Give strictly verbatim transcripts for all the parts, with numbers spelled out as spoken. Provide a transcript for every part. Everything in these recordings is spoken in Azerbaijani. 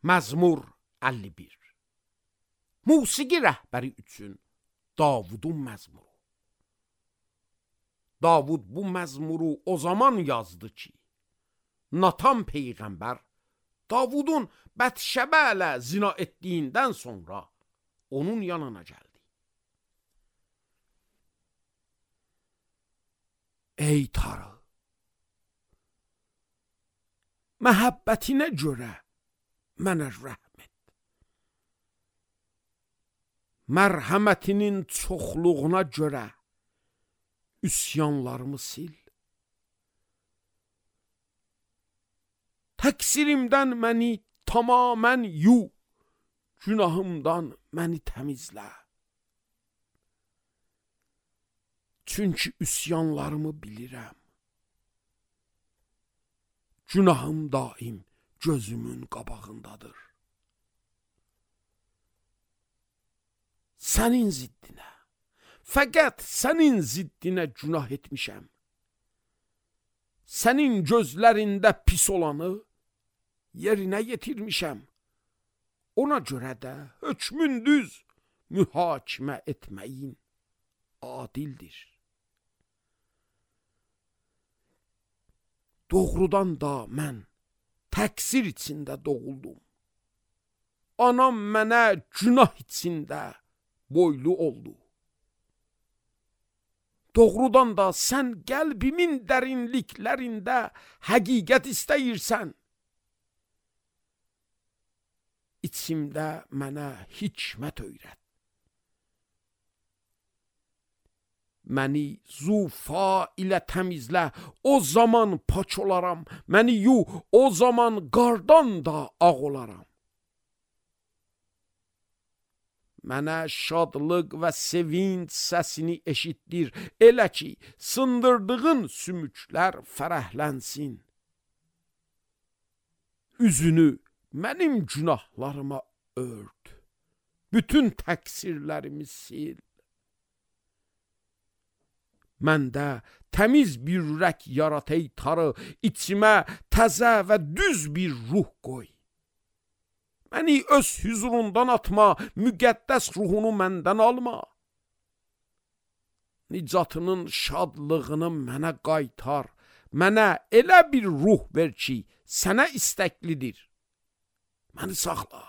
Məzmur əlli bir. Musiqi rəhbəri üçün Davudun məzmuru. Davud bu məzmuru o zaman yazdı ki, Natan peyğəmbər Davudun Bətşəbə ilə zina etdiyindən sonra onun yanına gəldi. Ey Tanrı, məhəbbətinə görə mənə rəhm et. Mərhəmətinin çoxluğuna görə üsyanlarımı sil. Təqsirimdən məni tamamən yu, günahımdan məni təmizlə. Çünki üsyanlarımı bilirəm. Günahım daim gözümün qabağındadır. Sənin ziddinə, fəqət sənin ziddinə günah etmişəm. Sənin gözlərində pis olanı yerinə yetirmişəm. Ona görə də hökmün düz, mühakimə etməyin adildir. Doğrudan da mən təqsir içində doğuldum. Anam mənə günah içində boylu oldu. Doğrudan da sən qəlbimin dərinliklərində həqiqət istəyirsən. İçimdə mənə hikmət öyrət. Məni zufa ilə təmizlə, o zaman paç olaram. Məni yu, o zaman qardan da ağ olaram. Mənə şadlıq və sevinç səsini eşitdir, elə ki, sındırdığın sümüklər fərəhlənsin. Üzünü mənim günahlarıma ört, bütün təqsirlərimi sil. Məndə təmiz bir ürək yarat ey Tanrı, içimə təzə və düz bir ruh qoy. Məni öz huzurundan atma, müqəddəs ruhunu məndən alma. Nicatının şadlığını mənə qaytar, mənə elə bir ruh ver ki, sənə istəklidir. Məni saxla.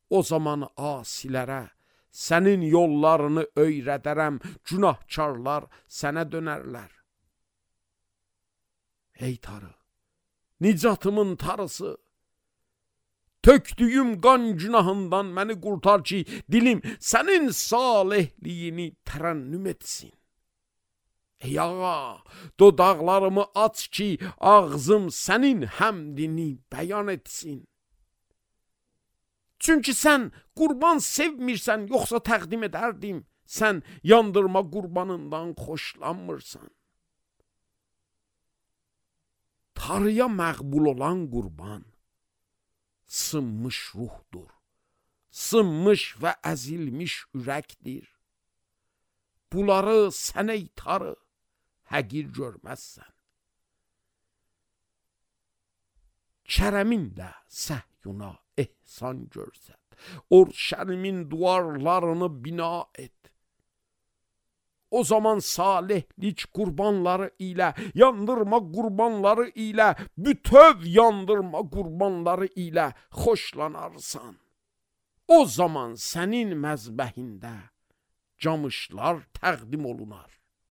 O zaman asilərə sənin yollarını öyrədərəm, günahkarlar sənə dönərlər. Ey Tanrı, nicatımın Tanrısı, tökdüyüm qan günahından məni qurtar ki, dilim sənin salihliyini tərənnüm etsin. Ey ağa, dodaqlarımı aç ki, ağzım sənin həmdini bəyan etsin. Çünki sən qurban sevmirsən, yoxsa təqdim edərdim. Sən yandırma qurbanından xoşlanmırsan. Tanrıya məqbul olan qurban sınmış ruhdur, sınmış və əzilmiş ürəkdir. Bunları sən ey Tanrı həqir görməzsən. Kərəminlə Səhyuna ehsan görsət, Urşəlimin duvarlarını bina et. O zaman salihlik qurbanları ilə, yandırma qurbanları ilə, bütöv yandırma qurbanları ilə xoşlanarsan. O zaman sənin məzbəhində camışlar təqdim olunar.